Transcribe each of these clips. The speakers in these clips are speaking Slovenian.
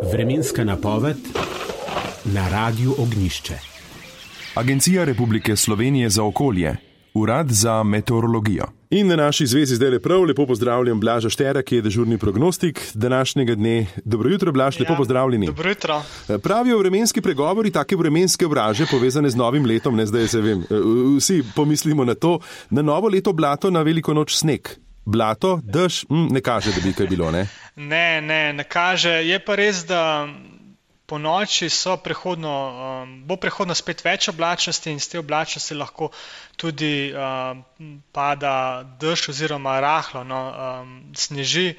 Vremenska napoved na Radiu Ognjišče. Agencija Republike Slovenije za okolje, Urad za meteorologijo. In na naši zvezi zdaj lepo pozdravljam Blaža Štera, ki je dežurni prognostik današnjega dne. Dobro jutro, Blaž, lepo pozdravljeni. Dobro jutro. Pravijo vremenski pregovori, take vremenske obraže povezane z novim letom, ne zdaj se vem, vsi pomislimo na to, na novo leto blato, na veliko noč sneg. Blato, dež, ne kaže, da bi kaj bilo, ne? Ne kaže. Je pa res, da po noči bo prehodno spet več oblačnosti in z te oblačnosti lahko tudi pada dež oziroma rahlo, sneži.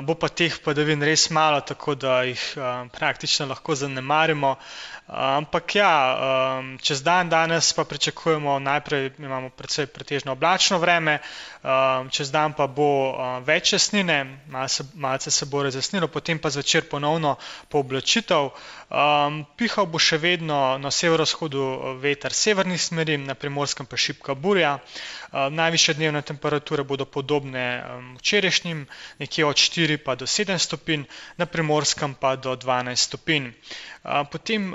Bo pa teh padavin res malo, tako da jih praktično lahko zanemarimo. Ampak čez dan danes pa pričakujemo, najprej imamo precej pretežno oblačno vreme, čez dan pa bo več jasnine, malce se bo razjasnilo, potem pa zvečer ponovno pooblačitev. Pihal bo še vedno na severovzhodu veter severnih smeri, na Primorskem pa šibka burja. Najvišje dnevne temperature bodo podobne včerajšnjim, nekje od 4 pa do 7 stopinj, na Primorskem pa do 12 stopinj. Potem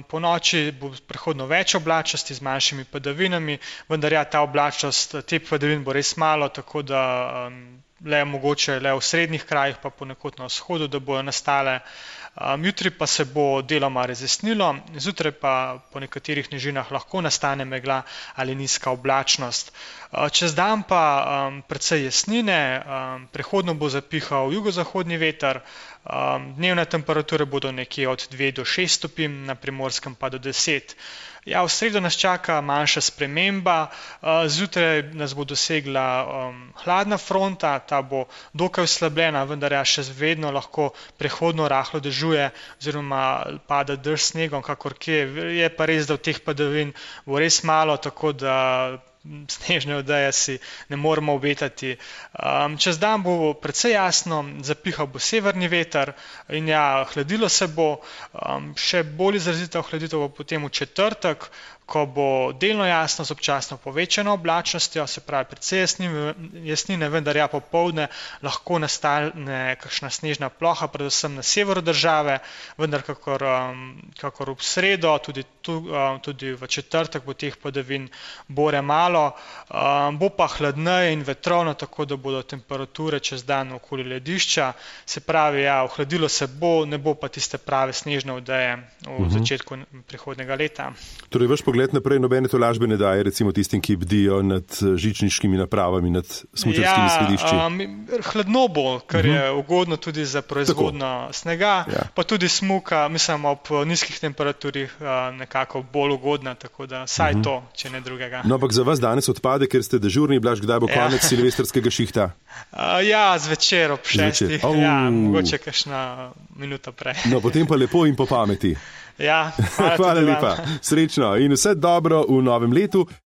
po noči bo prehodno več oblačnosti z manjšimi padavinami, vendar ta oblačnost, te padavin bo res malo, tako da mogoče le v srednjih krajih, pa ponekod na vzhodu, da bojo nastale. Jutri pa se bo deloma razjasnilo, zjutraj pa po nekaterih nižinah lahko nastane megla ali nizka oblačnost. Čez dan pa precej jasnine, prehodno bo zapihal jugozahodni veter, dnevne temperature bodo nekje od 2 do 6 stopinj, na Primorskem pa do 10. V sredo nas čaka manjša sprememba, zjutraj nas bo dosegla hladna fronta, ta bo dokaj oslabljena, vendar še vedno lahko prehodno rahlo dežuje oziroma pada dež s snegom, kakor kje. Je pa res, da v teh padavin bo res malo, tako da snežne odeje si ne moremo obetati. Čez dan bo precej jasno, zapihal bo severni veter in hladilo se bo. Še bolj izrazita ohladitev bo potem v četrtek, ko bo delno jasno z občasno povečano oblačnostjo, se pravi precej jasnine, vendar popoldne lahko nastane kakšna snežna ploha, predvsem na severu države, vendar kakor v sredo, tudi v četrtek bo teh padavin bore malo. Bo pa hladneje in vetrovno, tako da bodo temperature čez dan okoli ledišča, se pravi, ohladilo se bo, ne bo pa tiste prave snežne odeje v začetku prihodnjega leta. Torej, vaš pogled naprej nobene tolažbe ne daje, recimo tistim, ki bdijo nad žičniškimi napravami, nad smučarskimi skladišči? Hladno bo, kar je ugodno tudi za proizvodnjo snega, pa tudi smuka, mislim, ob nizkih temperaturih nekako bolj ugodna, tako da saj to, če ne drugega. No, ampak za vas danes odpade, ker ste dežurni, Blaž, kdaj bo konec silvestrskega šihta? Zvečer ob 6. Mogoče kakšna minuta prej. No, potem pa lepo in po pameti. Hvala lepa. Srečno in vse dobro v novem letu.